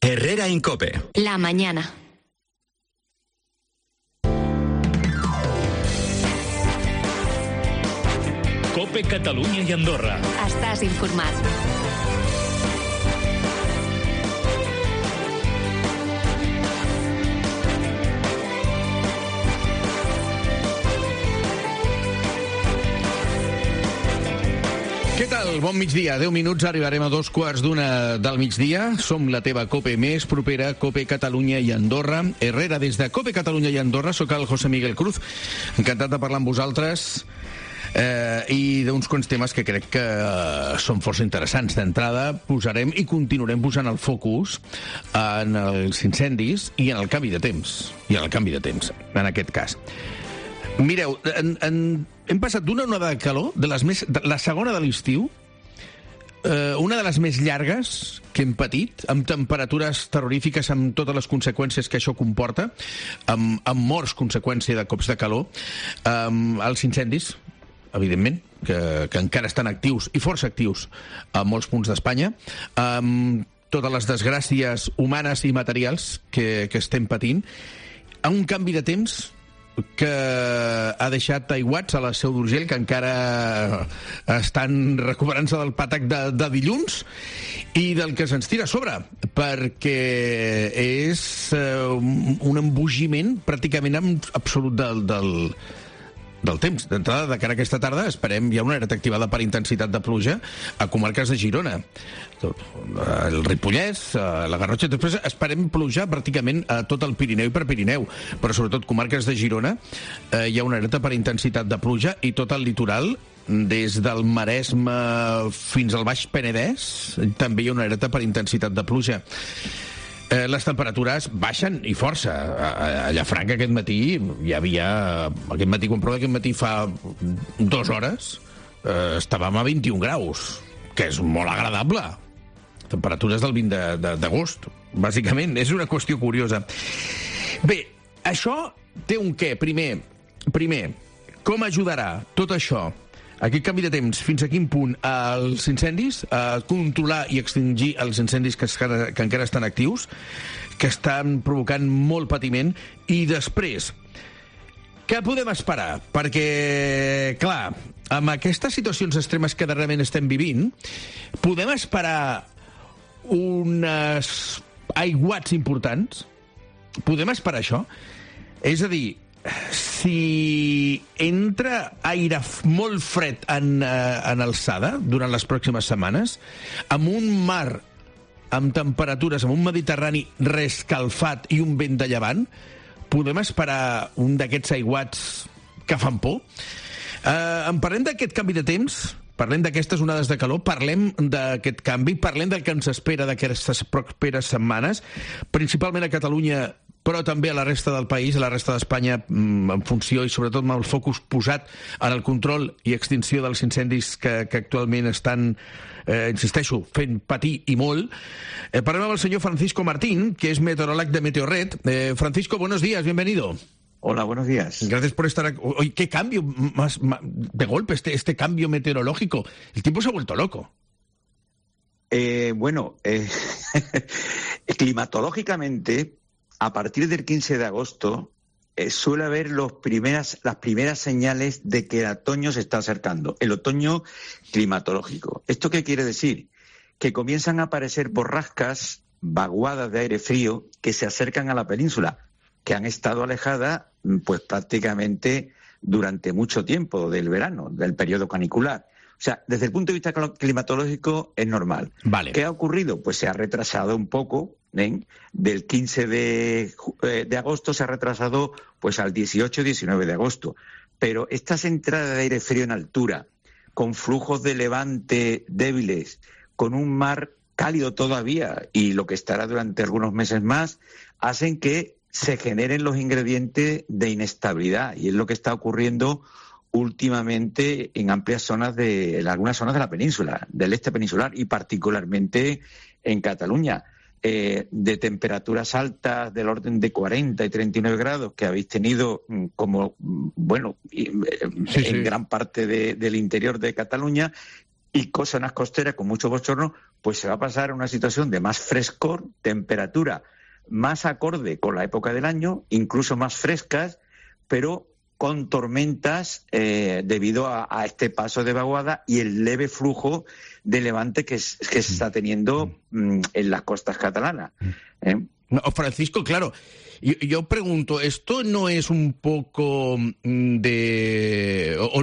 Herrera Incope. La mañana. Cope Catalunya i Andorra. Estàs informat. Què tal? Bon migdia. 10 minuts, arribarem a 2:15 del migdia. Som la teva Cope més propera, Cope Catalunya i Andorra. Herrera, des de Cope Catalunya i Andorra, sóc el José Miguel Cruz. Encantat de parlar amb vosaltres i d'uns quants temes que crec que són força interessants. D'entrada, posarem i continuarem posant el focus en els incendis i en el canvi de temps. En aquest cas. Mireu, hem passat d'una onada de calor, de la segona de l'estiu, una de les més llargues que hem patit, amb temperatures terrorífiques, amb totes les conseqüències que això comporta, amb morts conseqüència de cops de calor, els incendis, evidentment, que encara estan actius, i força actius, a molts punts d'Espanya, amb totes les desgràcies humanes i materials que estem patint, a un canvi de temps que ha deixat aiguats a la Seu d'Urgell, que encara estan recuperant-se del patac de dilluns i del que se'ns tira a sobre, perquè és un embogiment pràcticament absolut del temps. D'entrada, de cara a aquesta tarda, esperem, hi ha una alerta activada per intensitat de pluja a comarques de Girona, el Ripollès, la Garrotxa. Després esperem pluja pràcticament a tot el Pirineu i Prepirineu, però sobretot comarques de Girona hi ha una alerta per intensitat de pluja, i tot el litoral, des del Maresme fins al Baix Penedès, també hi ha una alerta per intensitat de pluja. Les temperatures baixen i força. A Llafranca aquest matí hi havia... Aquest matí fa 2 hores estàvem a 21 graus, que és molt agradable. Temperatures del 20 d'agost, bàsicament. És una qüestió curiosa. Bé, això té un què. Primer, com ajudarà tot això, aquest canvi de temps, fins a quin punt els incendis, a controlar i extingir els incendis que encara estan actius, que estan provocant molt patiment, i després, què podem esperar? Perquè, clar, amb aquestes situacions extremes que darrerament estem vivint, podem esperar uns aiguats importants? Podem esperar això? És a dir, si entra aire molt fred en alçada durant les pròximes setmanes, amb un mar amb temperatures, amb un Mediterrani rescalfat i un vent de llevant, podem esperar un d'aquests aiguats que fan por? En parlem d'aquest canvi de temps, parlem d'aquestes onades de calor, parlem d'aquest canvi, parlem del que ens espera d'aquestes properes setmanes, principalment a Catalunya, però també a la resta del país, a la resta d'Espanya, en funció i sobretot amb el focus posat en el control i extinció dels incendis que actualment estan, insisteixo, fent patir i molt. Parlem amb el senyor Francisco Martín, que es meteorólogo de Meteorred. Francisco, buenos días, bienvenido. Hola, buenos días. Gracias por estar aquí. Oye, qué cambio más de golpe, este cambio meteorológico. El tiempo se ha vuelto loco. Climatológicamente, a partir del 15 de agosto suele haber las primeras señales de que el otoño se está acercando, el otoño climatológico. ¿Esto qué quiere decir? Que comienzan a aparecer borrascas, vaguadas de aire frío que se acercan a la península, que han estado alejadas pues prácticamente durante mucho tiempo del verano, del periodo canicular. O sea, desde el punto de vista climatológico es normal. Vale. ¿Qué ha ocurrido? Pues se ha retrasado un poco, del 15 de agosto se ha retrasado pues al 18-19 de agosto. Pero estas entradas de aire frío en altura, con flujos de levante débiles, con un mar cálido todavía y lo que estará durante algunos meses más, hacen que se generen los ingredientes de inestabilidad, y es lo que está ocurriendo últimamente en amplias zonas en algunas zonas de la península, del este peninsular, y particularmente en Cataluña. De temperaturas altas del orden de 40 y 39 grados que habéis tenido en gran parte del interior de Cataluña, y zonas costeras con mucho bochorno, pues se va a pasar a una situación de más frescor, temperatura más acorde con la época del año, incluso más frescas, pero con tormentas debido a este paso de vaguada y el leve flujo de levante que se está teniendo en las costas catalanas. No, Francisco, claro, yo pregunto, ¿esto no es un poco o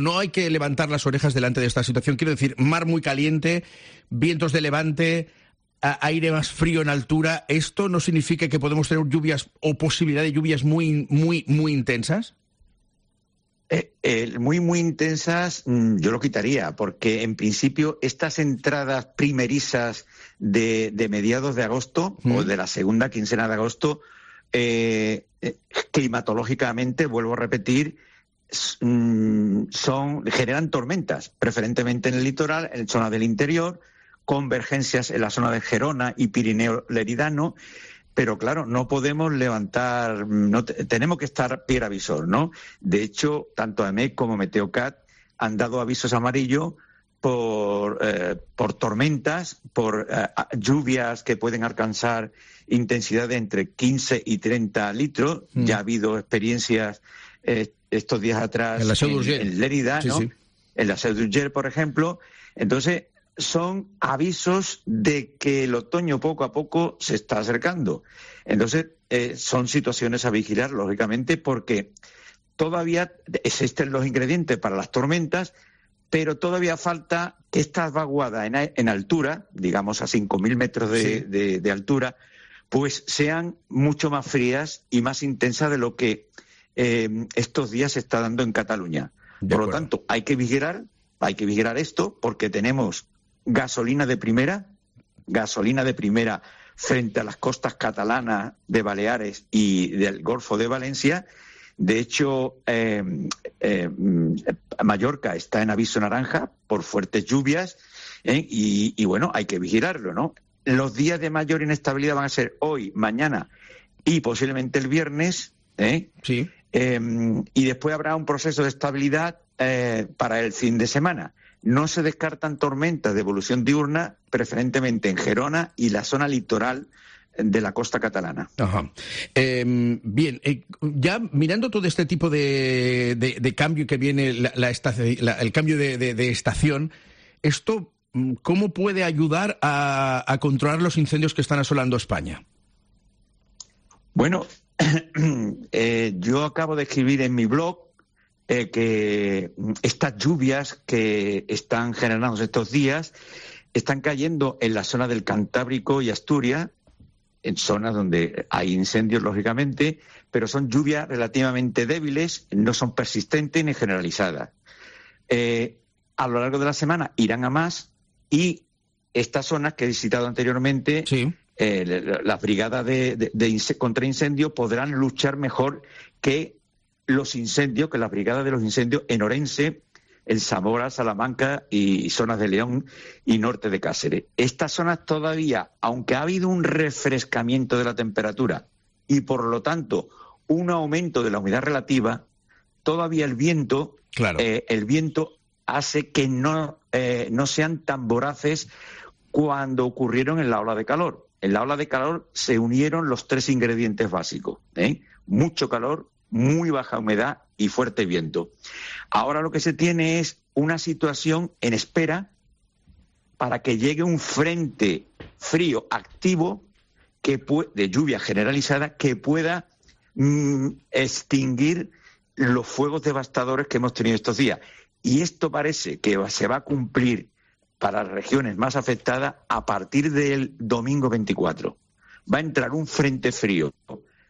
no hay que levantar las orejas delante de esta situación? Quiero decir, mar muy caliente, vientos de levante, aire más frío en altura. ¿Esto no significa que podemos tener lluvias o posibilidad de lluvias muy, muy, muy intensas? Muy intensas, yo lo quitaría, porque en principio estas entradas primerizas de mediados de agosto o de la segunda quincena de agosto, climatológicamente, vuelvo a repetir, generan tormentas, preferentemente en el litoral, en zonas del interior, convergencias en la zona de Gerona y Pirineo Leridano. Pero claro, no podemos levantar, tenemos que estar pie a visor, ¿no? De hecho, tanto AEMET como Meteocat han dado avisos amarillos por tormentas, por lluvias que pueden alcanzar intensidad de entre 15 y 30 litros. Ya ha habido experiencias estos días atrás en Lérida, ¿no? Sí. En la Seu d'Urgell, por ejemplo. Entonces, son avisos de que el otoño poco a poco se está acercando. Entonces, son situaciones a vigilar, lógicamente, porque todavía existen los ingredientes para las tormentas, pero todavía falta que estas vaguadas en altura, digamos a 5.000 metros de altura, pues sean mucho más frías y más intensas de lo que estos días se está dando en Cataluña. Por lo tanto, hay que vigilar esto, porque tenemos gasolina de primera frente a las costas catalanas de Baleares y del Golfo de Valencia. De hecho, Mallorca está en aviso naranja por fuertes lluvias, y bueno, hay que vigilarlo, ¿no? Los días de mayor inestabilidad van a ser hoy, mañana y posiblemente el viernes, Sí. Y después habrá un proceso de estabilidad para el fin de semana. No se descartan tormentas de evolución diurna, preferentemente en Gerona y la zona litoral de la costa catalana. Ajá. Bien, ya mirando todo este tipo de cambio que viene, el cambio de estación, ¿esto cómo puede ayudar a controlar los incendios que están asolando España? Bueno, yo acabo de escribir en mi blog que estas lluvias que están generándose estos días están cayendo en la zona del Cantábrico y Asturias, en zonas donde hay incendios, lógicamente, pero son lluvias relativamente débiles, no son persistentes ni generalizadas. A lo largo de la semana irán a más, y estas zonas que he visitado anteriormente, sí, las brigadas contra incendios podrán luchar mejor que los incendios, que las brigadas de los incendios en Orense, en Zamora, Salamanca y zonas de León y norte de Cáceres. Estas zonas todavía, aunque ha habido un refrescamiento de la temperatura y por lo tanto un aumento de la humedad relativa, todavía el viento hace que no sean tan voraces cuando ocurrieron en la ola de calor. En la ola de calor se unieron los tres ingredientes básicos, mucho calor, muy baja humedad y fuerte viento. Ahora lo que se tiene es una situación en espera para que llegue un frente frío activo de lluvia generalizada que pueda extinguir los fuegos devastadores que hemos tenido estos días. Y esto parece que se va a cumplir para las regiones más afectadas a partir del domingo 24. Va a entrar un frente frío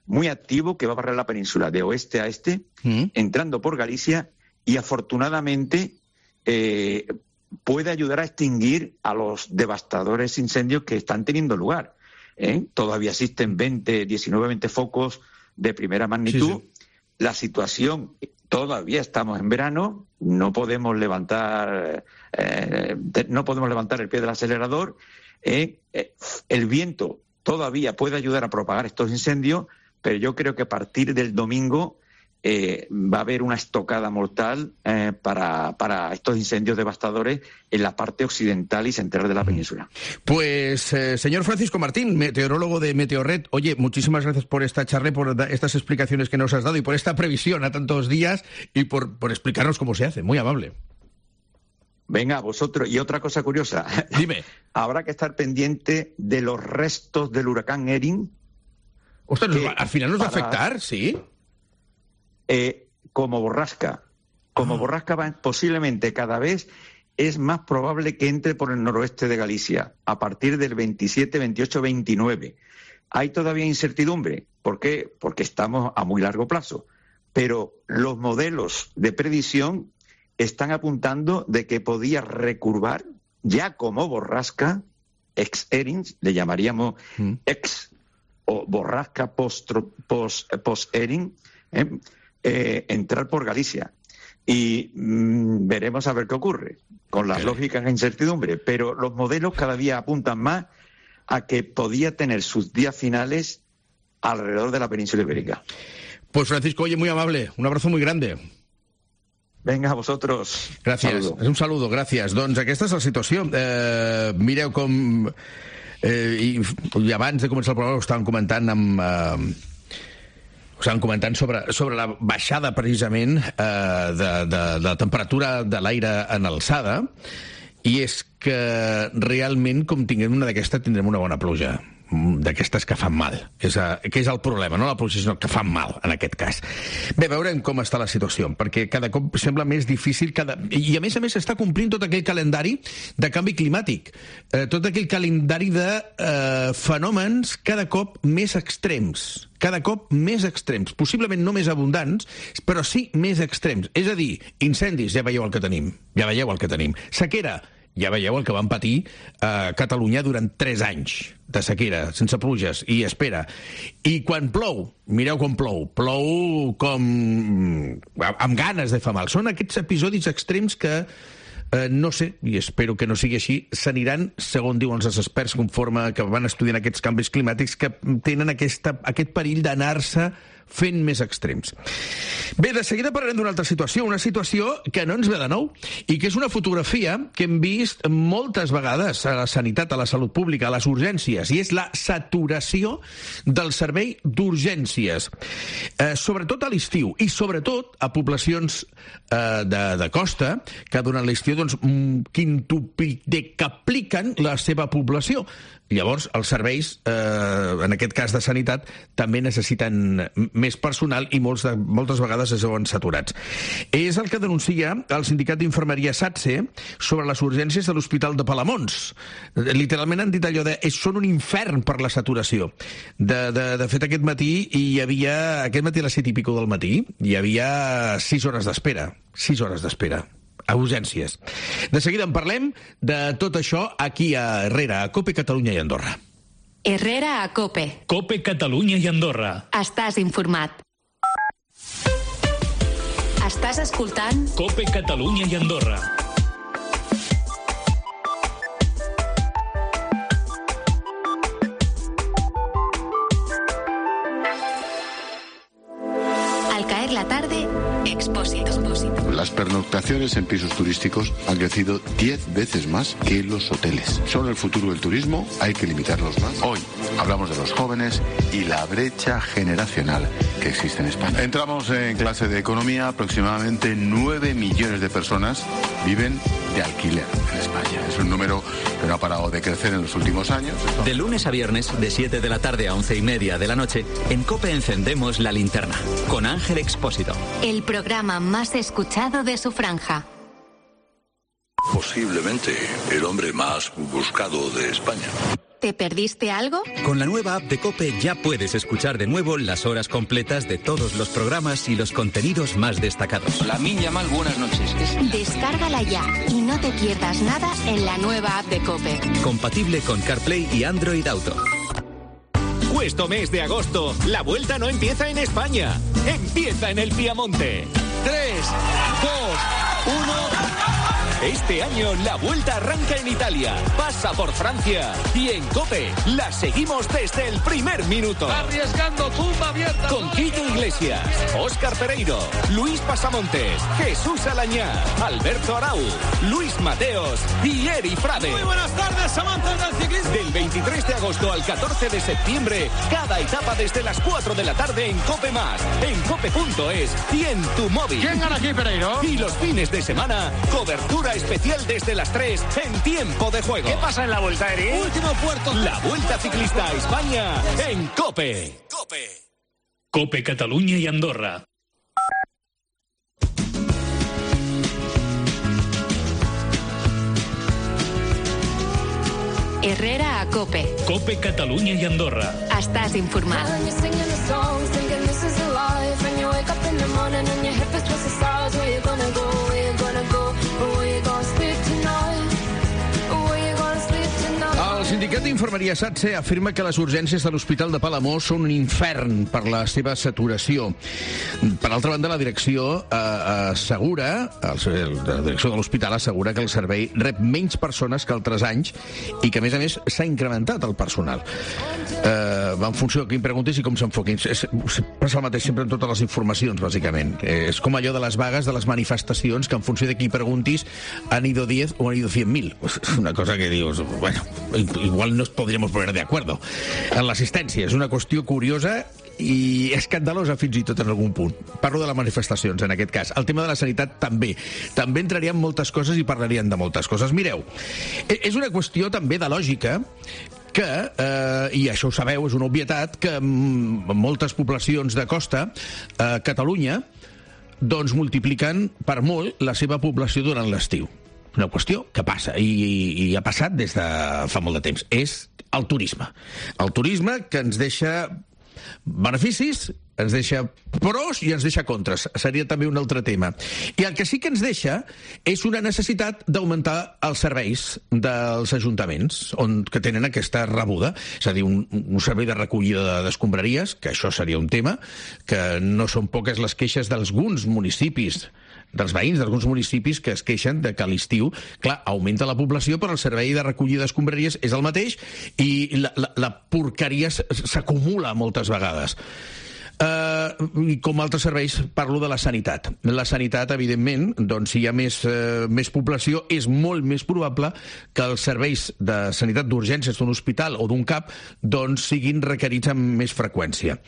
muy activo que va a barrer la península de oeste a este, entrando por Galicia, y afortunadamente puede ayudar a extinguir a los devastadores incendios que están teniendo lugar. Todavía existen 19 focos de primera magnitud. Sí. La situación, todavía estamos en verano, no podemos levantar el pie del acelerador. El viento todavía puede ayudar a propagar estos incendios, pero yo creo que a partir del domingo va a haber una estocada mortal para estos incendios devastadores en la parte occidental y central de la península. Pues, señor Francisco Martín, meteorólogo de Meteorred, oye, muchísimas gracias por esta charla, por estas explicaciones que nos has dado y por esta previsión a tantos días y por explicarnos cómo se hace. Muy amable. Venga, vosotros. Y otra cosa curiosa. Dime. Habrá que estar pendiente de los restos del huracán Erin. Ostras, al final nos va a afectar, ¿sí? Como borrasca. Como borrasca posiblemente cada vez es más probable que entre por el noroeste de Galicia a partir del 27, 28, 29. Hay todavía incertidumbre. ¿Por qué? Porque estamos a muy largo plazo. Pero los modelos de predicción están apuntando de que podía recurvar ya como borrasca, ex-Erin, le llamaríamos ex o borrasca post-Erin, entrar por Galicia. Y veremos a ver qué ocurre con las lógicas de incertidumbre. Pero los modelos cada día apuntan más a que podía tener sus días finales alrededor de la península ibérica. Pues Francisco, oye, muy amable, un abrazo muy grande. Vinga, a vosaltres. Gràcies. Un saludo, gràcies. Doncs aquesta és la situació. Mireu com... I abans de començar el programa ho estàvem comentant sobre la baixada precisament de la temperatura de l'aire en alçada, i és que realment, com tinguem una d'aquestes, tindrem una bona pluja d'aquestes que fan mal, que és el problema, no la pluja, sinó que fan mal en aquest cas. Bé, veurem com està la situació, perquè cada cop sembla més difícil i a més està complint tot aquell calendari de canvi climàtic, tot aquell calendari de fenòmens cada cop més extrems, possiblement no més abundants, però sí més extrems. És a dir, incendis, ja veieu el que tenim. Sequera, ja veieu el que van patir a Catalunya durant 3 anys de sequera, sense pluges, i espera. I quan plou, mireu com plou com amb ganes de fer mal. Són aquests episodis extrems que no sé, i espero que no sigui així, s'aniran, segons diuen els experts, conforme que van estudiant aquests canvis climàtics, que tenen aquest perill d'anar-se fent més extrems. Bé, de seguida parlarem d'una altra situació, una situació que no ens ve de nou, i que és una fotografia que hem vist moltes vegades a la sanitat, a la salut pública, a les urgències, i és la saturació del servei d'urgències, sobretot a l'estiu, i sobretot a poblacions de costa, que durant l'estiu quintupliquen la seva població. Llavors, els serveis, en aquest cas de sanitat, també necessiten més personal i moltes vegades es veuen saturats. És el que denuncia el sindicat d'infermeria SATSE sobre les urgències de l'Hospital de Palamons. Literalment han dit allò de són un infern per la saturació. De fet, aquest matí a les 7 i pico del matí, hi havia 6 hores d'espera. 6 hores d'espera. A urgències. De seguida en parlem de tot això aquí a Herrera, a COPE, Catalunya i Andorra. Herrera a COPE. COPE, Catalunya i Andorra. Estàs informat. Estàs escoltant COPE, Catalunya i Andorra. Al caer la tarde, Expósito. Las pernoctaciones en pisos turísticos han crecido 10 veces más que los hoteles. Son el futuro del turismo, hay que limitarlos más. Hoy hablamos de los jóvenes y la brecha generacional que existe en España. Entramos en clase de economía, aproximadamente 9 millones de personas viven de alquiler en España. Es un número que no ha parado de crecer en los últimos años. De lunes a viernes, de 7 de la tarde a 11:30 de la noche, en COPE encendemos la linterna, con Ángel Expósito. El programa más escuchado de su franja. Posiblemente el hombre más buscado de España. ¿Te perdiste algo? Con la nueva app de COPE ya puedes escuchar de nuevo las horas completas de todos los programas y los contenidos más destacados. La Minya Mal, buenas noches. Descárgala ya y no te pierdas nada en la nueva app de COPE. Compatible con CarPlay y Android Auto. Este mes de agosto, la vuelta no empieza en España, empieza en el Piamonte. 3, 2, 1... Este año la Vuelta arranca en Italia, pasa por Francia y en COPE la seguimos desde el primer minuto. Arriesgando, tumba abierta. Con Quique Iglesias, Óscar Pereiro, Luis Pasamontes, Jesús Alañá, Alberto Arau, Luis Mateos y Eri Frade. Muy buenas tardes, amantes del ciclismo. Del 23 de agosto al 14 de septiembre, cada etapa desde las 4 de la tarde en COPE+, en cope.es y en tu móvil. ¿Quién gana aquí, Pereiro? Y los fines de semana, cobertura especial desde las 3 en tiempo de juego. ¿Qué pasa en la Vuelta, Eri? Último puerto. La Vuelta Ciclista a España en COPE. COPE Catalunya i Andorra. Herrera a COPE. COPE Catalunya i Andorra. Estàs informat. El sindicat d'infermeria SATSE afirma que les urgències de l'Hospital de Palamós són un infern per la seva saturació. Per altra banda, la direcció assegura, la direcció de l'hospital assegura que el servei rep menys persones que altres anys i que, a més, s'ha incrementat el personal. Va en funció de qui em preguntis i com s'enfoquin. Passa el mateix sempre en totes les informacions, bàsicament. És com allò de les vagues, de les manifestacions, que en funció de qui preguntis han ido 10 o han ido 100.000. És una cosa que dius, bueno, igual nos podríamos poner de acuerdo. En l'assistència és una qüestió curiosa i escandalosa fins i tot en algun punt. Parlo de les manifestacions, en aquest cas. El tema de la sanitat també. També entraríem moltes coses i parlarien de moltes coses. Mireu, és una qüestió també de lògica que, i això ho sabeu, és una obvietat, que moltes poblacions de costa a Catalunya doncs multipliquen per molt la seva població durant l'estiu. Una qüestió que passa, i ha passat des de fa molt de temps. És el turisme. El turisme que ens deixa beneficis, ens deixa pros i ens deixa contres. Seria també un altre tema. I el que sí que ens deixa és una necessitat d'augmentar els serveis dels ajuntaments que tenen aquesta rebuda. És a dir, un servei de recollida d'escombraries, que això seria un tema, que no són poques les queixes d'alguns municipis, dels veïns d'alguns municipis que es queixen de que a l'estiu, clar, augmenta la població, però el servei de recollida d'escombraries és el mateix i la porqueria s'acumula moltes vegades. I com altres serveis parlo de la sanitat. La sanitat, evidentment, doncs si hi ha més població, és molt més probable que els serveis de sanitat d'urgències d'un hospital o d'un CAP doncs siguin requerits amb més freqüència.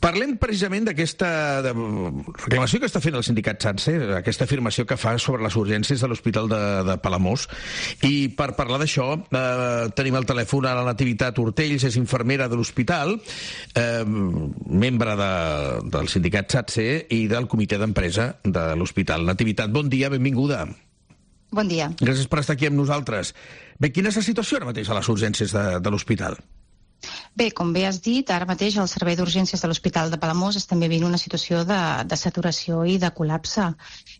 Parlem precisament d'aquesta reclamació que està fent el sindicat SATSE, aquesta afirmació que fa sobre les urgències de l'Hospital de Palamós. I per parlar d'això tenim al telèfon a la Nativitat Ortells, és infermera de l'hospital, membre del sindicat SATSE i del comitè d'empresa de l'hospital. Nativitat, bon dia, benvinguda. Bon dia. Gràcies per estar aquí amb nosaltres. Bé, quina és la situació ara mateix a les urgències de l'hospital? Bé, com bé has dit, ara mateix el Servei d'Urgències de l'Hospital de Palamós està vivint una situació de saturació i de col·lapse.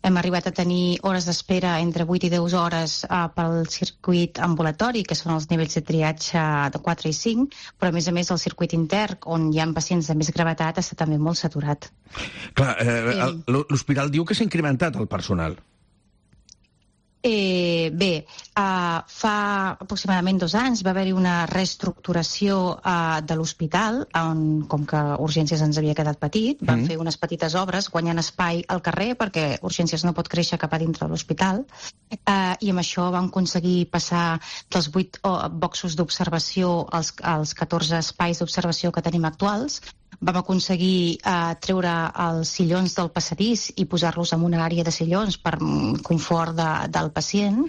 Hem arribat a tenir hores d'espera entre 8 i 10 hores pel circuit ambulatori, que són els nivells de triatge de 4 i 5, però a més el circuit intern, on hi ha pacients de més gravetat, està també molt saturat. Clar, l'hospital diu que s'ha incrementat el personal. Fa aproximadament 2 anys va haver-hi una reestructuració de l'hospital, com que Urgències ens havia quedat petit, van fer unes petites obres guanyant espai al carrer perquè Urgències no pot créixer cap a dintre de l'hospital, i amb això vam aconseguir passar dels 8 boxos d'observació als 14 espais d'observació que tenim actuals. Vam aconseguir treure els sillons del passadís i posar-los en una àrea de sillons per confort del pacient,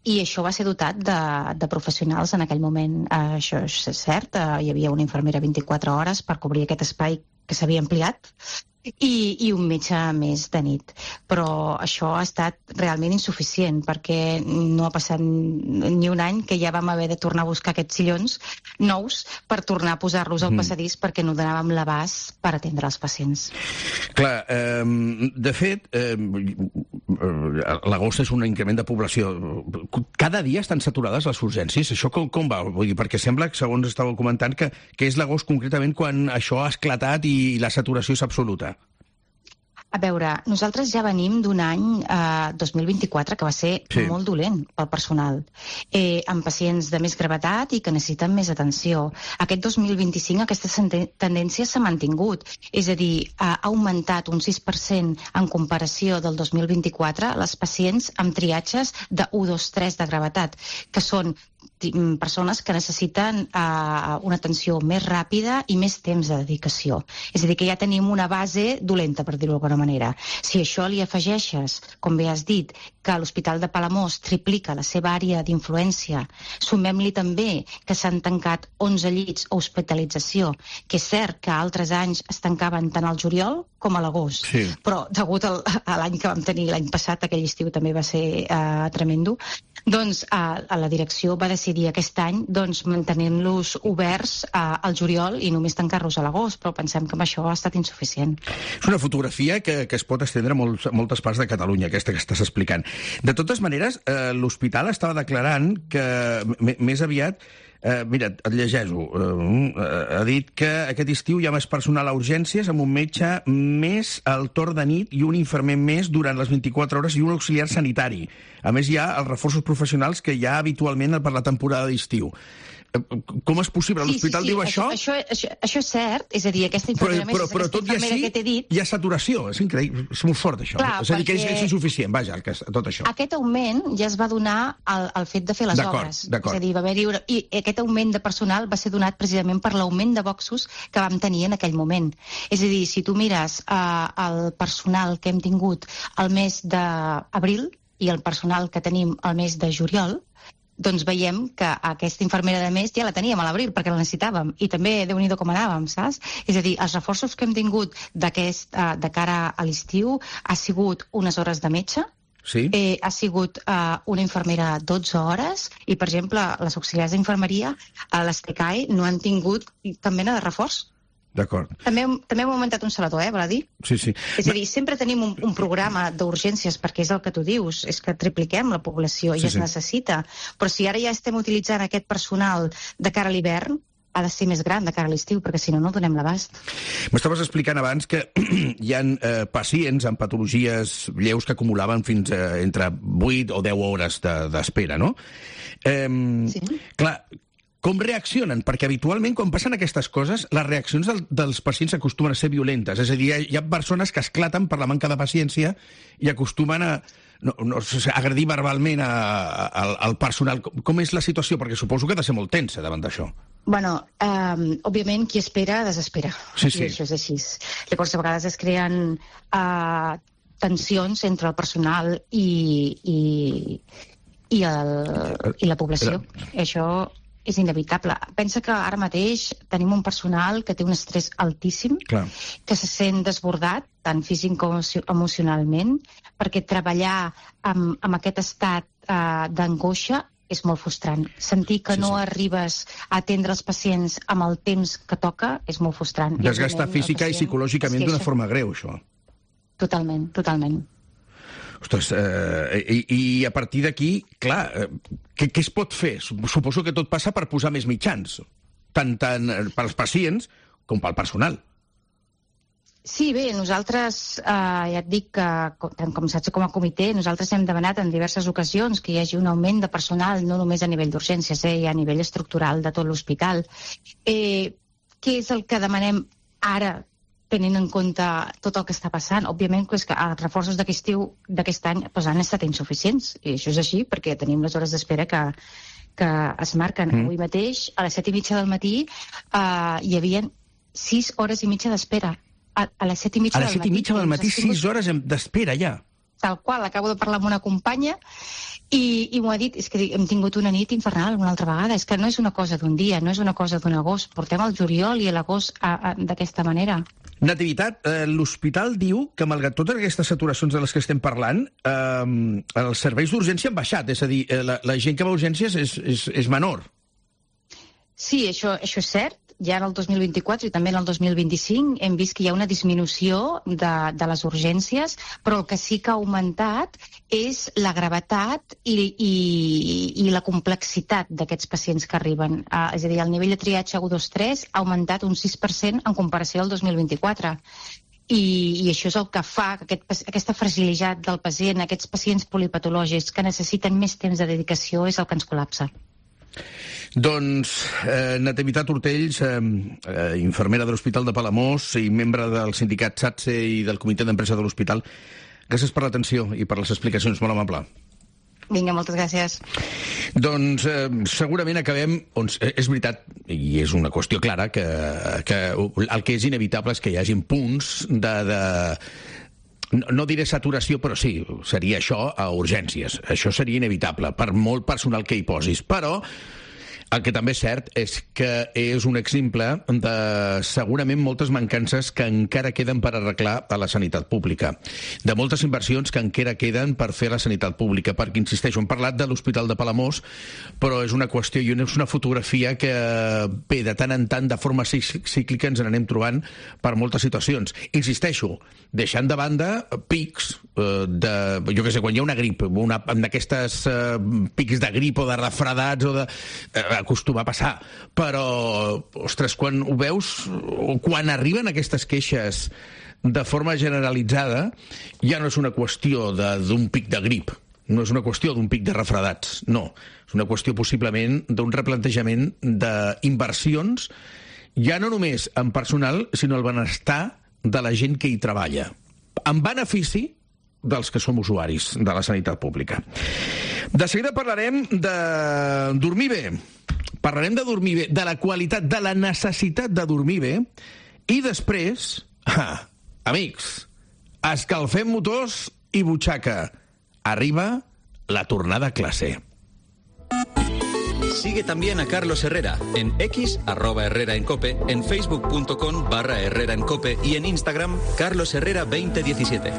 i això va ser dotat de professionals en aquell moment. Això és cert, hi havia una infermera 24 hores per cobrir aquest espai que s'havia ampliat, i un metge més de nit. Però això ha estat realment insuficient, perquè no ha passat ni un any que ja vam haver de tornar a buscar aquests sillons nous per tornar a posar-los al passadís perquè no donàvem l'abast per atendre els pacients. Clar, de fet, l'agost és un increment de població. Cada dia estan saturades les urgències? Això com va? Vull dir, perquè sembla, segons estàveu comentant, que és l'agost concretament quan això ha esclatat i la saturació és absoluta. A veure, nosaltres ja venim d'un any 2024 que va ser molt dolent pel personal, amb pacients de més gravetat i que necessiten més atenció. Aquest 2025 aquesta tendència s'ha mantingut, és a dir, ha augmentat un 6% en comparació del 2024 les pacients amb triatges de 1, 2, 3 de gravetat, que són persones que necessiten una atenció més ràpida i més temps de dedicació. És a dir, que ja tenim una base dolenta, per dir-ho d'alguna manera. Si això li afegeixes, com bé has dit, que l'Hospital de Palamós triplica la seva àrea d'influència, sumem-li també que s'han tancat 11 llits a hospitalització, que és cert que altres anys es tancaven tant al juliol com a l'agost, però degut a l'any que vam tenir l'any passat, aquell estiu també va ser tremendo, doncs la direcció va decidir aquest any mantenint-los oberts al juliol i només tancar-los a l'agost, però pensem que amb això ha estat insuficient. És una fotografia que es pot estendre a moltes parts de Catalunya, aquesta que estàs explicant. De totes maneres, l'hospital estava declarant que més aviat mira, et llegeixo. Ha dit que aquest estiu hi ha més personal a urgències amb un metge més al torn de nit i un infermer més durant les 24 hores i un auxiliar sanitari. A més, hi ha els reforços professionals que hi ha habitualment per la temporada d'estiu. Com és possible? L'hospital diu això? Això és cert, és a dir, aquesta infermera més, aquesta infermera que t'he dit... Hi ha saturació, és increïble, és molt fort això. És a dir, que és insuficient, vaja, tot això. Aquest augment ja es va donar al fet de fer les obres. És a dir, va haver-hi... I aquest augment de personal va ser donat precisament per l'augment de boxos que vam tenir en aquell moment. És a dir, si tu mires el personal que hem tingut el mes d'abril i el personal que tenim el mes de juliol, doncs veiem que aquesta infermera de més ja la teníem a l'abril perquè la necessitàvem i també Déu-n'hi-do com anàvem, saps? És a dir, els reforços que hem tingut de cara a l'estiu ha sigut unes hores de metge, ha sigut una infermera 12 hores i, per exemple, les auxiliars d'infermeria a les TCAE no han tingut cap mena de reforç. D'acord. També hem augmentat un salador, val a dir? Sí. És a dir, sempre tenim un programa d'urgències, perquè és el que tu dius, és que tripliquem la població i es necessita. Però si ara ja estem utilitzant aquest personal de cara a l'hivern, ha de ser més gran de cara a l'estiu, perquè si no, no donem l'abast. M'estaves explicant abans que hi ha pacients amb patologies lleus que acumulaven fins entre 8 o 10 hores d'espera, no? Clar, com reaccionen? Perquè habitualment, quan passen aquestes coses, les reaccions dels pacients acostumen a ser violentes. És a dir, hi ha persones que esclaten per la manca de paciència i acostumen a agredir verbalment al personal. Com és la situació? Perquè suposo que ha de ser molt tensa davant d'això. Bueno, òbviament, qui espera, desespera. Sí. I això és així. Llavors, a vegades es creen tensions entre el personal i la població. Això és inevitable. Pensa que ara mateix tenim un personal que té un estrès altíssim, que se sent desbordat, tant físic com emocionalment, perquè treballar amb aquest estat d'angoixa és molt frustrant. Sentir que no arribes a atendre els pacients amb el temps que toca és molt frustrant. Desgasta física i psicològicament d'una forma greu, això. Totalment. Ostres, i a partir d'aquí, clar, què es pot fer? Suposo que tot passa per posar més mitjans, tant pels pacients com pel personal. Sí, bé, nosaltres, ja et dic que, tant com saps com a comitè, nosaltres hem demanat en diverses ocasions que hi hagi un augment de personal, no només a nivell d'urgències, i a nivell estructural de tot l'hospital. Què és el que demanem ara, tenint en compte tot el que està passant? Òbviament és que els reforços d'aquest any han estat insuficients, i això és així perquè tenim les hores d'espera que es marquen. Avui mateix, a les 7:30 del matí, hi havia 6 hores i mitja d'espera. A les 7:30 del matí. A les 7:30 del matí, 6 hores d'espera, ja. Tal qual, acabo de parlar amb una companya i m'ho ha dit, és que hem tingut una nit infernal una altra vegada, és que no és una cosa d'un dia, no és una cosa d'un agost, portem el juliol i l'agost d'aquesta manera. Nativitat, l'hospital diu que malgrat totes aquestes saturacions de les que estem parlant, els serveis d'urgència han baixat, és a dir, la gent que va a urgències és menor. Sí, això és cert. Ja en el 2024 i també en el 2025 hem vist que hi ha una disminució de les urgències, però el que sí que ha augmentat és la gravetat i la complexitat d'aquests pacients que arriben. És a dir, el nivell de triatge 1, 2, 3 ha augmentat un 6% en comparació al 2024. i això és el que fa que aquesta fragilitat del pacient, aquests pacients polipatològics que necessiten més temps de dedicació, és el que ens col·lapsa. Doncs Nativitat Ortells, infermera de l'Hospital de Palamós i membre del sindicat SATSE i del comitè d'empresa de l'hospital, gràcies per l'atenció i per les explicacions, molt amable. Vinga, moltes gràcies. Doncs segurament acabem... És veritat, i és una qüestió clara, que el que és inevitable és que hi hagin punts no diré saturació, però sí, seria això a urgències. Això seria inevitable, per molt personal que hi posis. Però el que també és cert és que és un exemple de segurament moltes mancances que encara queden per arreglar a la sanitat pública, de moltes inversions que encara queden per fer a la sanitat pública, perquè, insisteixo, hem parlat de l'Hospital de Palamós, però és una qüestió i és una fotografia que, bé, de tant en tant, de forma cíclica, ens n'anem trobant per moltes situacions. Insisteixo, deixant de banda pics jo què sé, quan hi ha una grip, d'aquestes pics de grip o de refredats o de... acostuma a passar, però ostres, quan ho veus, quan arriben aquestes queixes de forma generalitzada, ja no és una qüestió d'un pic de grip, no és una qüestió d'un pic de refredats, no, és una qüestió possiblement d'un replantejament d'inversions, ja no només en personal, sinó el benestar de la gent que hi treballa, en benefici dels que som usuaris de la sanitat pública. De seguida parlarem de dormir bé. Parlarem de dormir bé, de la qualitat, de la necessitat de dormir bé, i després, amics, escalfem motors i butxaca. Arriba la tornada a clase. Sigue también a Carlos Herrera en X, @HerreraEnCope, en facebook.com/HerreraEnCope y en Instagram, carlosherrera2017.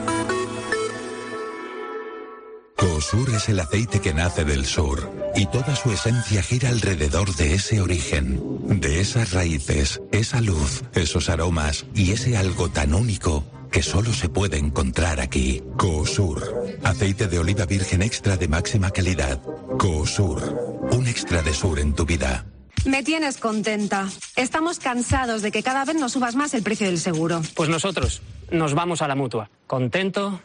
Coosur es el aceite que nace del sur y toda su esencia gira alrededor de ese origen, de esas raíces, esa luz, esos aromas y ese algo tan único que solo se puede encontrar aquí. Coosur, aceite de oliva virgen extra de máxima calidad. Coosur, un extra de sur en tu vida. Me tienes contenta. Estamos cansados de que cada vez nos subas más el precio del seguro. Pues nosotros nos vamos a la Mutua. ¿Contento?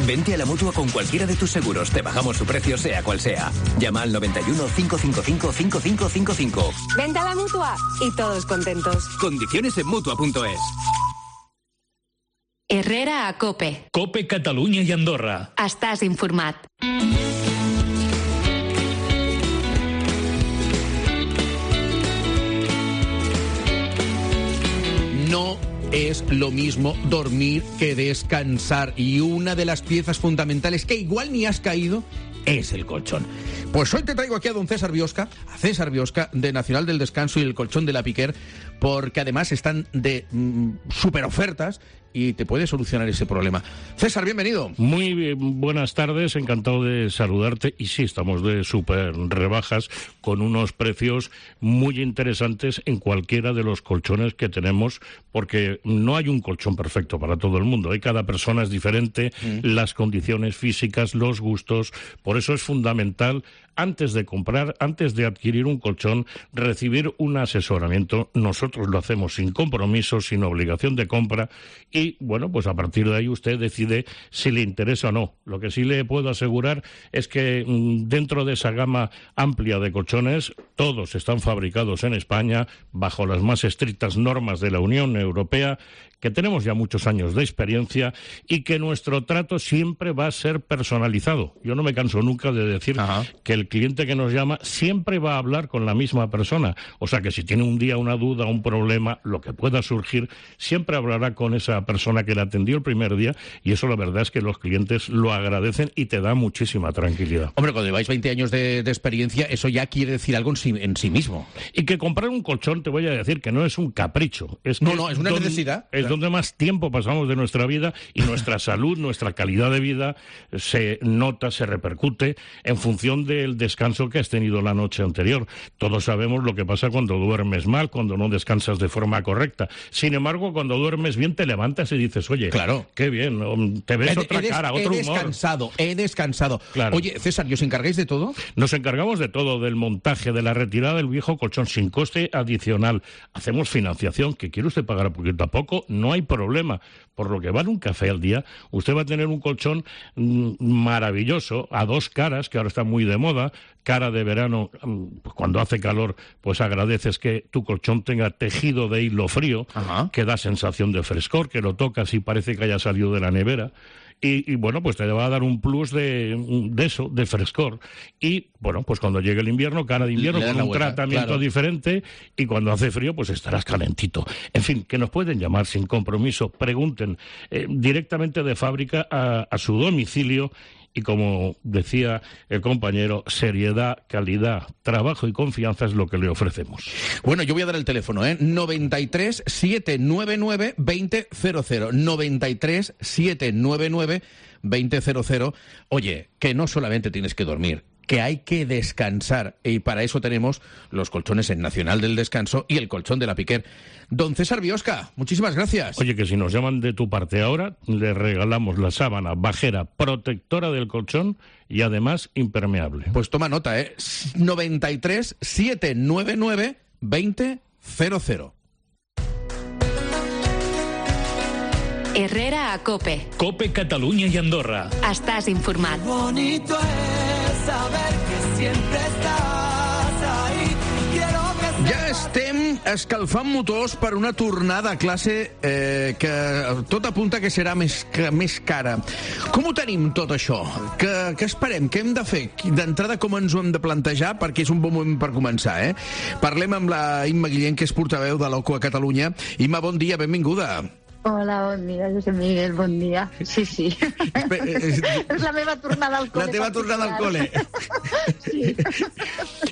Vente a la Mutua con cualquiera de tus seguros. Te bajamos su precio, sea cual sea. Llama al 91 555 5555. Vente a la Mutua y todos contentos. Condiciones en Mutua.es. Herrera a Cope. Cope Catalunya i Andorra. Estàs informat. No es lo mismo dormir que descansar. Y una de las piezas fundamentales que igual ni has caído es el colchón. Pues hoy te traigo aquí a don César Biosca, de Nacional del Descanso y el Colchón de la Piquer, porque además están de super ofertas y te puede solucionar ese problema. César, bienvenido. Muy bien, buenas tardes, encantado de saludarte. Y sí, estamos de súper rebajas con unos precios muy interesantes en cualquiera de los colchones que tenemos, porque no hay un colchón perfecto para todo el mundo. Cada persona es diferente, las condiciones físicas, los gustos. Por eso es fundamental, antes de comprar, antes de adquirir un colchón, recibir un asesoramiento. Nosotros lo hacemos sin compromiso, sin obligación de compra y, bueno, pues a partir de ahí usted decide si le interesa o no. Lo que sí le puedo asegurar es que dentro de esa gama amplia de colchones, todos están fabricados en España bajo las más estrictas normas de la Unión Europea, que tenemos ya muchos años de experiencia y que nuestro trato siempre va a ser personalizado. Yo no me canso nunca de decir que el cliente que nos llama siempre va a hablar con la misma persona. O sea que si tiene un día una duda, un problema, lo que pueda surgir, siempre hablará con esa persona que le atendió el primer día, y eso la verdad es que los clientes lo agradecen y te da muchísima tranquilidad. Hombre, cuando lleváis 20 años de experiencia, eso ya quiere decir algo en sí mismo. Y que comprar un colchón, te voy a decir que no es un capricho. Es no, es una necesidad. Es donde más tiempo pasamos de nuestra vida y nuestra salud, nuestra calidad de vida se nota, se repercute en función del del descanso que has tenido la noche anterior. Todos sabemos lo que pasa cuando duermes mal, cuando no descansas de forma correcta. Sin embargo, cuando duermes bien te levantas y dices, oye, claro, qué bien, te ves otra cara, otro humor. He descansado. Claro. Oye, César, ¿y os encargáis de todo? Nos encargamos de todo, del montaje, de la retirada del viejo colchón sin coste adicional. Hacemos financiación, que quiere usted pagar poquito a poco, no hay problema. Por lo que vale un café al día, usted va a tener un colchón maravilloso, a dos caras, que ahora está muy de moda. Cara de verano, cuando hace calor, pues agradeces que tu colchón tenga tejido de hilo frío, que da sensación de frescor, que lo tocas y parece que haya salido de la nevera. Y bueno, pues te va a dar un plus de eso, de frescor. Y bueno, pues cuando llegue el invierno, cara de invierno, con un tratamiento diferente, y cuando hace frío, pues estarás calentito. En fin, que nos pueden llamar sin compromiso, pregunten directamente de fábrica a su domicilio. Y como decía el compañero, seriedad, calidad, trabajo y confianza es lo que le ofrecemos. Bueno, yo voy a dar el teléfono, 93 799 2000. 93 799 2000. Oye, que no solamente tienes que dormir, que hay que descansar, y para eso tenemos los colchones en Nacional del Descanso y el colchón de la Piquer. Don César Biosca, muchísimas gracias. Oye, que si nos llaman de tu parte ahora, le regalamos la sábana bajera protectora del colchón y además impermeable. Pues toma nota, 93 799 2000. Herrera a COPE. COPE Catalunya i Andorra. Estàs informat. Bonito es saber que siempre estás ahí. Quiero que ja estem escalfant motors per una tornada a classe que tot apunta que serà més cara. Com ho tenim tot això? Què esperem? Què hem de fer? D'entrada, com ens ho hem de plantejar? Perquè és un bon moment per començar, Parlem amb la Imma Guillén, que és portaveu de l'OCU a Catalunya. Imma, bon dia, benvinguda. Hola, bon dia, Josep Miguel, bon dia. Sí. És la meva tornada al col·le. La teva tornada al col·le. Sí.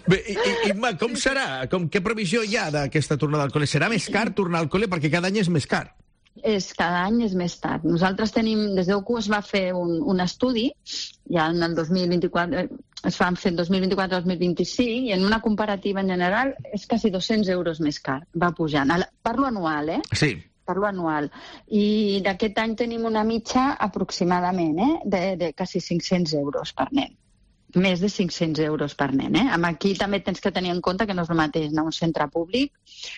Bé, Imma, com serà? Què previsió hi ha d'aquesta tornada al col·le? Serà més car tornar al col·le? Perquè cada any és més car. Cada any és més car. Nosaltres tenim, des d'OCU es va fer un estudi, ja en el 2024, es van fer en 2024-2025, i en una comparativa en general és quasi 200 euros més car. Va pujant. Parlo anual, Sí. Parlo anual. I d'aquest any tenim una mitja aproximadament, de quasi 500 euros per nen. Més de 500 euros per nen, Aquí també tens que tenir en compte que no és el mateix anar a un centre públic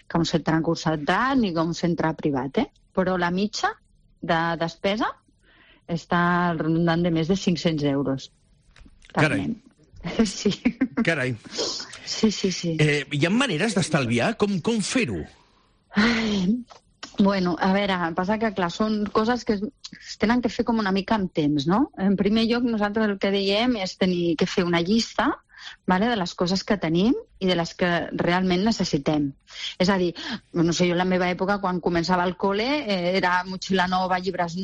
que un centre concertat ni que un centre privat, Però la mitja de despesa està rondant de més de 500 euros per nen. Sí. Carai. Sí. Hi ha maneres d'estalviar? Com fer-ho? Bueno, a veure, passa que, clar, són coses que es tenen que fer com una mica amb temps, no? En primer lloc, nosaltres el que diem és tenir que fer una llista, vale, de les coses que tenim i de les que realment necessitem. És a dir, no sé, jo en la meva època, quan començava el col·le, era motxilla nova, llibres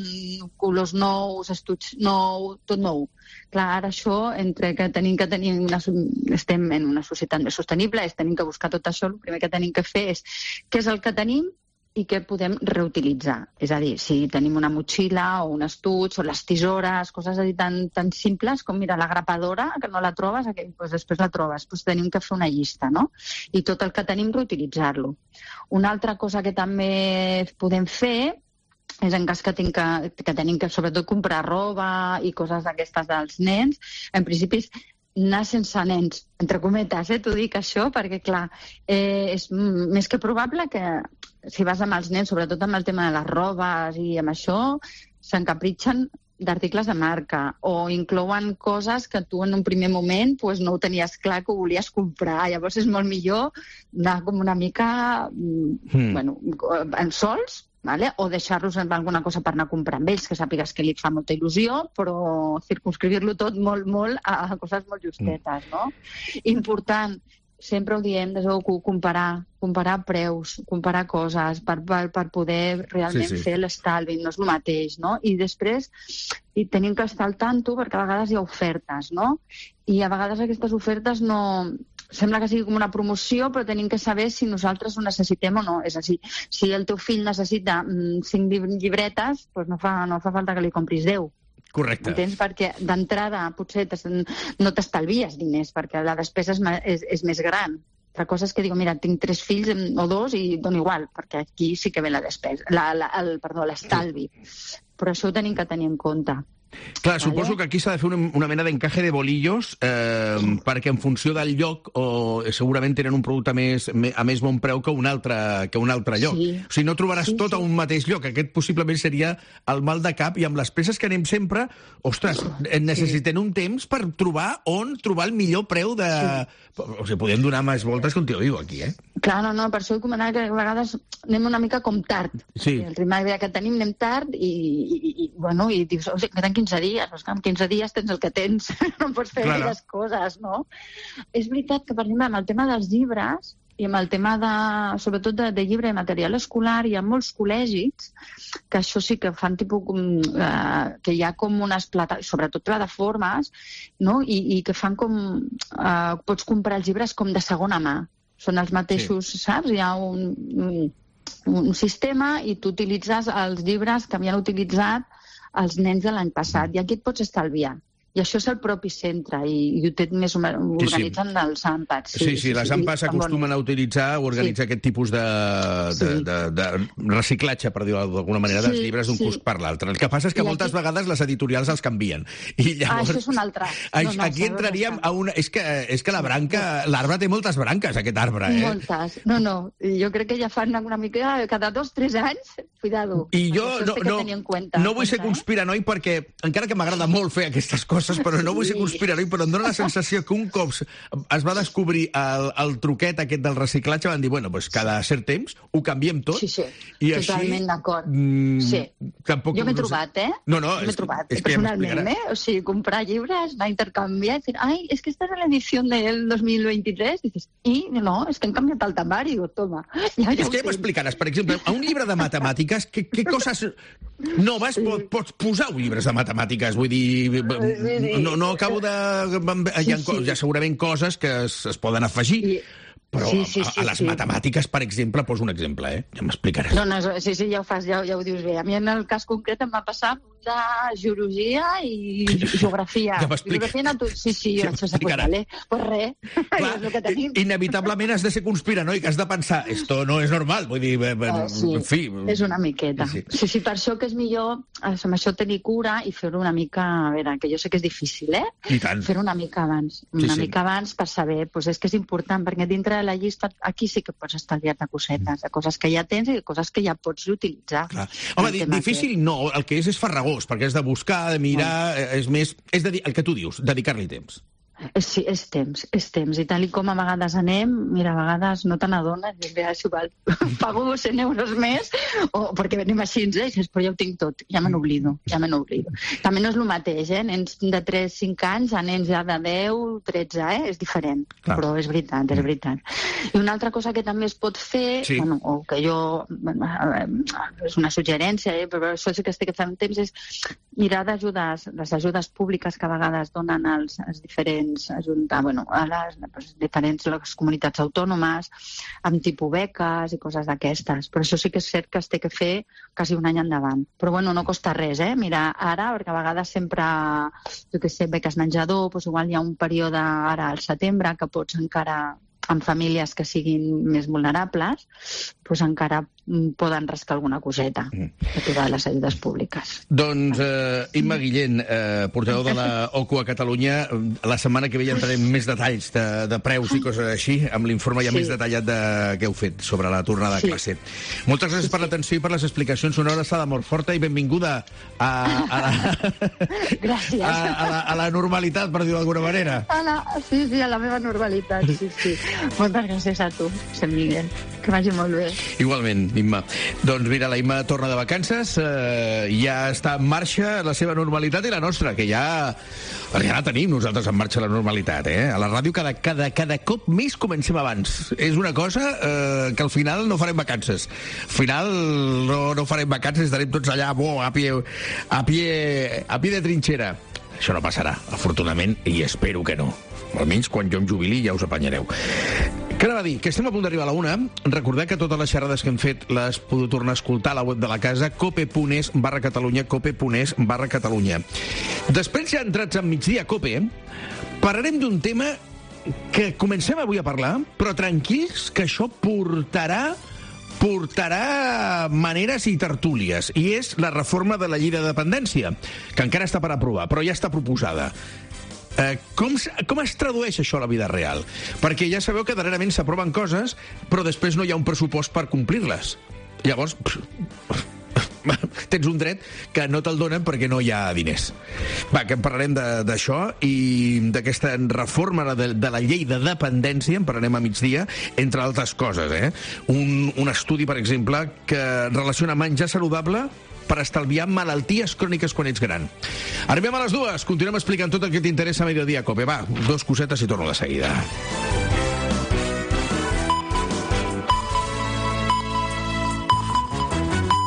colors nous, estuig nou, tot nou. Clar, ara això, entre que estem en una societat més sostenible, tenim que buscar tot això, el primer que tenim que fer és què és el que tenim i què podem reutilitzar. És a dir, si tenim una motxilla o un estuig o les tisores, coses tan simples com, mira, la grapadora, que no la trobes, doncs després la trobes. Doncs tenim que fer una llista, no? I tot el que tenim reutilitzar-lo. Una altra cosa que també podem fer és en cas que tenim que sobretot comprar roba i coses d'aquestes dels nens, en principi és anar sense nens, entre cometes, t'ho dic això, perquè clar, és més que probable que si vas amb els nens, sobretot amb el tema de les robes i amb això, s'encapritxen d'articles de marca o inclouen coses que tu en un primer moment no ho tenies clar que ho volies comprar. Llavors és molt millor anar com una mica en sols, vale? O deixar-los amb alguna cosa per anar a comprar amb ells, que sàpigues que li fa molta il·lusió, però circumscriure-lo tot molt a coses molt justetes, no? Important, sempre ho diem, des d'OCU, comparar preus, comparar coses per poder realment fer l'estalvi, no és el mateix, no? I després tenim que estar al tanto perquè a vegades hi ha ofertes, no? I a vegades aquestes ofertes no... Sembla que sigui com una promoció, però tenim que saber si nosaltres ho necessitem o no. És a dir, si el teu fill necessita 5 llibretes, doncs no fa falta que li compris 10. Correcte. Entens? Perquè d'entrada potser no t'estalvies diners, perquè la despesa és més gran. Altra cosa és que dic, mira, tinc 3 fills o 2 i dono igual, perquè aquí sí que ve la despesa, l'estalvi. Però això ho tenim que tenir en compte. Clar, suposo que aquí s'ha de fer una mena d'encaje de bolillos perquè en funció del lloc segurament tenen un producte a més bon preu que un altre lloc. Sí. O sigui, no trobaràs tot a un mateix lloc. Aquest possiblement seria el mal de cap i amb les peces que anem sempre, ostres, necessitem un temps per trobar el millor preu de... O sigui, podem donar més voltes que un tio viu aquí, eh? Clar, no, per això he comentat que a vegades anem una mica com tard. Sí. El ritme que tenim anem tard i dius, o sigui, queden 15 dies, però en 15 dies tens el que tens, no pots fer les coses, no? És veritat que, per exemple, amb el tema dels llibres i amb el tema, sobretot, de llibre i material escolar, hi ha molts col·legis que això sí que fan tipus... que hi ha com unes sobretot plataformes, no? I que fan com... pots comprar els llibres com de segona mà. Són els mateixos, saps? Hi ha un sistema i tu utilitzes els llibres que havien utilitzat els nens de l'any passat. I aquí et pots estalviar. I això és el propi centre, i ho té més organitzen els AMPAs. Sí, les AMPAs acostumen a utilitzar o organitzar aquest tipus de reciclatge, per dir-ho d'alguna manera, dels llibres d'un curs per l'altre. El que passa és que moltes vegades les editorials els canvien. I llavors... això és un altre. Aquí entraríem a una... És que l'arbre té moltes branques, aquest arbre, eh? Moltes. No, jo crec que ja fan una mica cada 2 o 3 anys, cuidado. I jo no vull ser conspiranoi perquè, encara que m'agrada molt fer aquestes coses, però no vull ser conspirador, però em dóna la sensació que un cop es va descobrir el truquet aquest del reciclatge, van dir, bueno, pues cada cert temps ho canviem tot. Sí, i totalment d'acord. Sí. Jo m'he trobat, No, m'he trobat, personalment, O sigui, comprar llibres, anar a intercanviar, i dir, ai, és que esta és l'edició del 2023, i dices, no, és que han canviat el temari, toma. És que ja m'explicaràs, per exemple, a un llibre de matemàtiques, què coses noves pots posar a un llibre de matemàtiques? Vull dir... No acabo de... Hi ha segurament coses que es poden afegir, però a les matemàtiques, per exemple, poso un exemple, ja m'explicaràs. No, sí, ja ho fas, ja ho dius bé. A mi en el cas concret em va passar de geologia i geografia. Ja m'expliques. Sí, ja m'explicaràs. Pues res, és el que tenim. Inevitablement has de ser conspiranoi, que has de pensar, esto no és normal, vull dir, en fi... És una miqueta. Sí, per això que és millor, amb això tenir cura i fer-ho una mica, a veure, que jo sé que és difícil, I tant. Fer-ho una mica abans. Mica abans per saber, és que és important, perquè dintre de la llista aquí sí que pots estalviar-te cosetes, de coses que ja tens i de coses que ja pots utilitzar. Home, difícil no, el que és farragós, perquè és de buscar, de mirar, és més... És el que tu dius, dedicar-li temps. Sí, és temps. I tal com a vegades anem, mira, a vegades no te n'adones, i és igual, pago 100 euros més, perquè venim així, i dius, però ja ho tinc tot, ja me n'oblido. També no és el mateix, nens de 3-5 anys a nens ja de 10, 13, és diferent, però és veritat. I una altra cosa que també es pot fer, o que jo, és una suggerència, però això sí que estic fent temps, és mirar les ajudes públiques que a vegades donen als diferents ajuntar, a les diferents comunitats autònomes amb tipus beques i coses d'aquestes. Però això sí que és cert que es té que fer quasi un any endavant. Però no costa res, Mira, ara, perquè a vegades sempre, jo què sé, beques menjador, igual hi ha un període ara al setembre que pots encara, amb famílies que siguin més vulnerables, encara poden rascar alguna coseta de totes les ajudes públiques. Doncs, Imma Guillén, portaveu de la OCU a Catalunya, la setmana que ve ja entrarem més detalls de preus i coses així, amb l'informe ja més detallat que heu fet sobre la tornada a classe. Moltes gràcies per l'atenció i per les explicacions. Una abraçada molt forta i benvinguda a la normalitat, per dir-ho d'alguna manera. Sí, a la meva normalitat, sí. Moltes gràcies a tu, Sant Miguel. Que vagi molt bé. Igualment, Imma. Doncs mira, la Imma torna de vacances, ja està en marxa la seva normalitat i la nostra, que ja la tenim nosaltres en marxa la normalitat, A la ràdio cada cop més comencem abans. És una cosa que al final no farem vacances. Al final no farem vacances, estarem tots allà, a pie de trinxera. Això no passarà, afortunadament, i espero que no. Almenys quan jo em jubili ja us apanyareu. Què anava a dir? Que estem a punt d'arribar a la 1. Recordeu que totes les xerrades que hem fet les podeu tornar a escoltar a la web de la casa, cope.es/Catalunya, cope.es/Catalunya. Després, ja entrats en migdia a Cope, parlarem d'un tema que comencem avui a parlar, però tranquils, que això portarà maneres i tertúlies, i és la reforma de la llei de dependència, que encara està per aprovar, però ja està proposada. Com es tradueix això a la vida real? Perquè ja sabeu que darrerament s'aproven coses, però després no hi ha un pressupost per complir-les. Llavors, tens un dret que no te'l donen perquè no hi ha diners. Va, que en parlarem d'això i d'aquesta reforma de la llei de dependència, en parlarem a migdia, entre altres coses. Un estudi, per exemple, que relaciona menjar saludable per estalviar malalties cròniques quan ets gran. Arribem a les 2, continuem explicant tot el que t'interessa a Mediodía Cope. Va, 2 cosetes i torno de seguida.